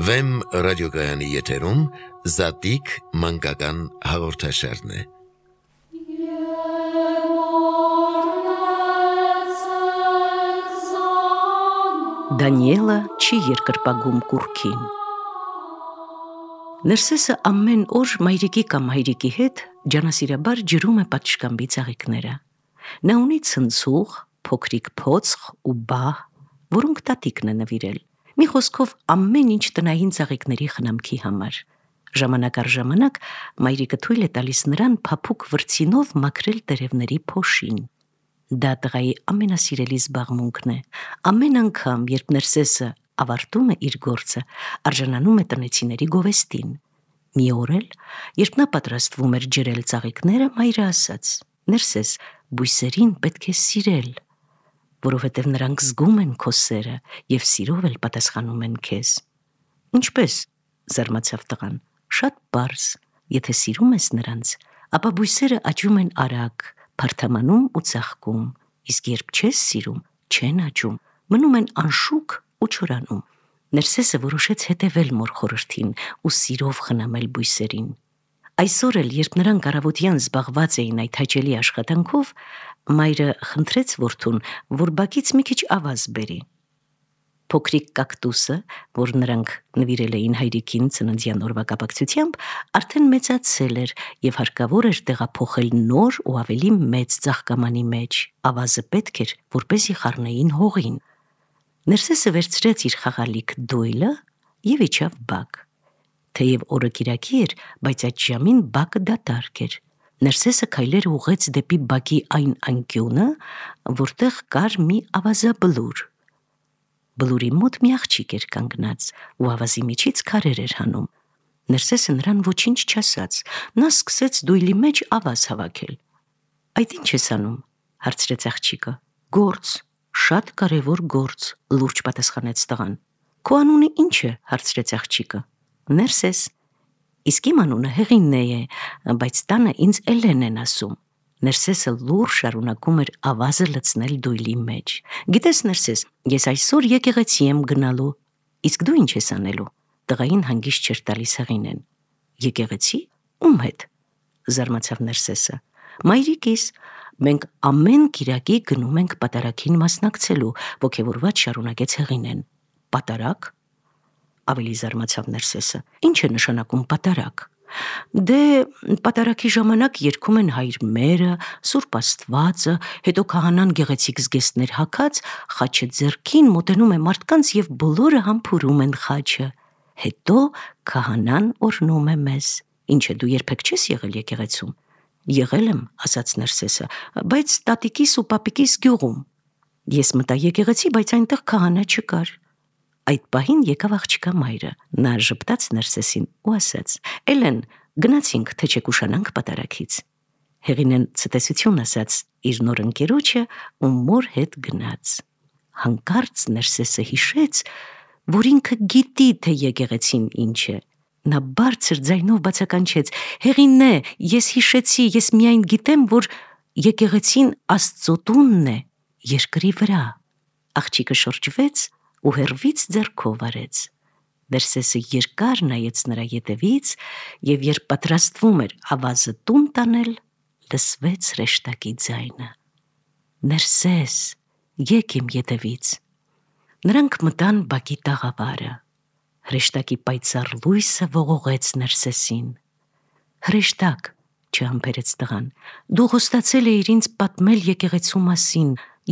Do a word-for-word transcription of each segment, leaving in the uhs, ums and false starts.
Վեմ ռադիոգայանի եթերում Զատիկ մանկական հաղորդաշարն է։ Դանիելը չի երկրպագում կուռքին։ Ներսեսը ամեն օր մայրիկի կամ հայրիկի հետ ջանասիրաբար ջրում է պատշգամբի ծաղիկները։ Նա ունի ցնցուղ, փոքրիկ փոցխ ու բահ, որոնք տատիկն է նվիրել։ Մի խոսքով ամեն ինչ տնային ծաղիկների խնամքի համար։ Ժամանակ առ ժամանակ մայրիկը թույլ է տալիս նրան փափուկ վրձինով մաքրել տերևների փոշին։ Դա տղայի ամենասիրելի զբաղմունքն է։ Ամեն անգամ, երբ Ներսեսը ավարտում է իր գործը, արժանանում է տնեցիների գովեստին։ Մի օր էլ, երբ նա պատրաստվում էր ջրել ծաղիկները, մայրը ասաց. «Ներսես, բույսերին պետք է սիրել, որովհետև նրանք զգում են քո սերը և սիրով էլ պատասխանում են քեզ»։ Ինչպե՞ս, զարմացավ տղան։ Շատ պարզ, եթե սիրում ես նրանց, ապա բույսերը աճում են արագ, փարթամանում ու ծաղկում, իսկ երբ չես սիրում, չեն աճում, մնում են անշուք ու չորանում։ Ներսեսը որոշեց հետևել մոր խորհրդին ու սիրով խնամել բույսերին։ Այսօր էլ, երբ նրանք առավոտյան զբաղված էին այդ հաճելի աշխատանքով, մայրը խնդրեց որդուն, որ բակից մի քիչ ավազ բերի։ Փոքրիկ կակտուսը, որ նրանք նվիրել էին հայրիկին ծննդյան օրվա կապակցությամբ, արդեն մեծացել էր և հարկավոր էր տեղափոխել նոր ու ավելի մեծ ծաղկամանի մեջ։ Ավազը պետք էր, որպեսզի խառնեին հողին։ Ներսեսը վերցրեց իր խաղալիք դոյլը և իջավ բակ։ Թեև օրը կիրակի էր, բայց այդ ժամին բակը դատարկ էր։ Ներսեսը քայլեր ուղղեց դեպի բակի այն անկյունը, որտեղ կար մի ավազաբլուր։ Բլուրի մոտ մի աղջիկ էր կանգնած ու ավազի միջից քարեր էր հանում։ Ներսեսը նրան ոչինչ չասաց, նա սկսեց դույլի մեջ ավազ հավաքել։ Այդ ի՞նչ ես անում, հարցրեց աղջիկը։ Գործ, շատ կարևոր գործ, լուրջ պատասխանեց տղան։ Քո անունը ի՞նչ է, հարցրեց աղջիկը։ Ներսես։ Իսկ իմ անունը Հեղինե է, բայց տանը ինձ Էլեն են ասում։ Ներսեսը լուռ շարունակում էր ավազը լցնել դույլի մեջ։ Գիտես, Ներսես, ես այսօր եկեղեցի եմ գնալու, իսկ դու ինչ ես անելու։ Տղային հանգիստ չէր տալիս Հեղինեն։ Եկեղեցի։ Ում հետ, զարմացավ Ներսեսը։ Մայրիկիս, մենք ամեն կիրակի գնում ենք պատարագին մասնակցելու, ոգևորված շարունակեց Հեղինեն։ Պատարագ։ Ավելի զարմացավ Ներսեսը։ Ինչ է նշանակում պատարագ։ Դե պատարագի ժամանակ երգում են հայր մերը, Սուրբ Աստվածը, հետո քահանան գեղեցիկ զգեստներ հագած, խաչը ձեռքին մոտենում է մարդկանց և բոլորը համբուրում են խաչը։ Հետո քահանան օրհնում է մեզ։ Ինչ է, դու երբեք չես եղել եկեղեցում։ Եղել եմ, ասաց Ներսեսը, բայց տատիկիս ու պապիկիս գյուղում։ Ես մտա եկեղեցի, բայց այնտեղ քահանա չկար։ Այդ պահին եկավ աղջկա մայրը։ Նա ժպտաց Ներսեսին ու ասաց. Էլեն, գնացինք, թե չեք ուշանանք պատարագից։ Հեղինեն ցտեսություն ասաց իր նոր ընկերոջը ու մոր հետ գնաց։ Հանկարծ Ներսեսը հիշեց, որ ինքը գիտի, թե եկեղեցին ինչ է։ Նա բարձր ձայնով բացականչեց. Հեղինե, ես հիշեցի, ես միայն գիտեմ, որ եկեղեցին Աստծո տունն է, երկրի վրա։ Աղջիկը շրջվեց ու հեռվից ձեռքով արեց։ Ներսեսը երկար նայեց նրա ետևից և երբ պատրաստվում էր ավազը տուն տանել, լսվեց հրեշտակի ձայնը։ Ներսես, եկ իմ ետևից։ Նրանք մտան բակի տաղավարը։ Հրեշտակի պայծառ լույսը ողողեց Ներսեսին։ Հրեշտակ, չհամբերեց տղան, դու խոստացել էիր ինձ պատմել եկեղեցու մասին,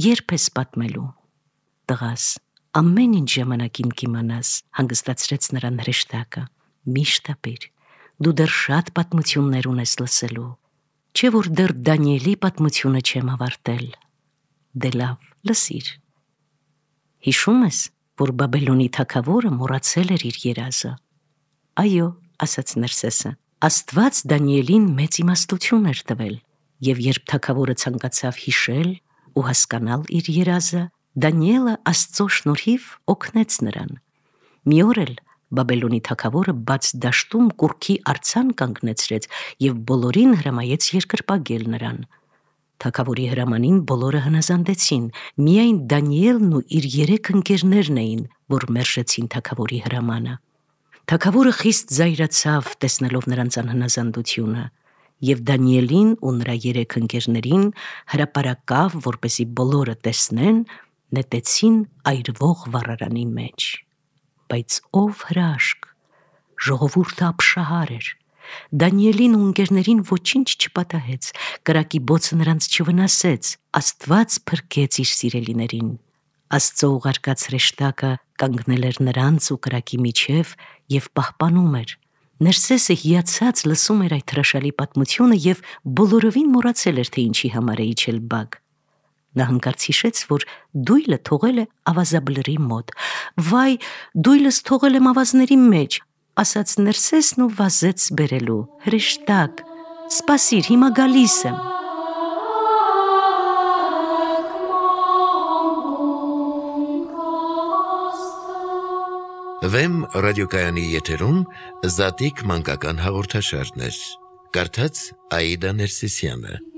երբ ես պատմելու։ Տղաս, ամեն ինչ ժամանակին կիմանաս, հանգստացրեց նրան հրեշտակը։ Միշտ ապիր, դու դեռ շատ պատմություններ ունես լսելու, չէ որ դեռ Դանիելի պատմությունը չեմ ավարտել։ Դե լավ, լսիր։ Հիշում ես, որ Բաբելոնի թագավորը մոռացել էր իր երազը։ Այո, ասաց Ներսեսը, Աստված Դանիելին մեծ իմաստություն էր տվել, և երբ թագավորը ցանկացավ հիշել ու հասկանալ իր երազը, Դանիելը Աստծո շնորհիվ օգնեց նրան։ Մի օր էլ Բաբելոնի թագավորը բաց դաշտում կուռքի արձան կանգնեցրեց և բոլորին հրամայեց երկրպագել նրան։ Թագավորի հրամանին բոլորը հնազանդեցին, միայն Դանիելն ու իր երեք ընկերներն էին, որ մերժեցին թագավորի հրամանը։ Թագավորը խիստ զայրացավ տեսնելով նրանց անհնազանդությունը, եւ Դանիելին ու նրա երեք ընկերներին հրապարակավ, որպեսի բոլորը տեսնեն, նետեցին այրվող վառարանի մեջ։ Բայց ով հրաշք, ժողովուրդը ապշահար էր։ Դանիելին ու ընկերներին ոչինչ չպատահեց, կրակի բոցը նրանց չվնասեց, Աստված փրկեց իր սիրելիներին։ Աստծո ուղարկած հրեշտակը կանգնել էր նրանց ու կրակի միջև եւ պահպանում էր։ Ներսեսը հիացած լսում էր այդ հրաշալի պատմությունը եւ բոլորովին մոռացել էր, թե ինչի համար է իջել բակ։ Նա հանկարծ հիշեց, որ դույլը թողել է ավազաբլրի մոտ։ Վայ, դույլս թողել եմ ավազների մեջ, ասաց Ներսեսն ու վազեց բերելու։ Հրեշտակ, սպասիր, հիմա գալիս եմ։ Վեմ ռադիոկայանի եթերում Զատիկ մանկական հաղորդաշարներ։ Կարդաց Աիդա Ներսիսյանը։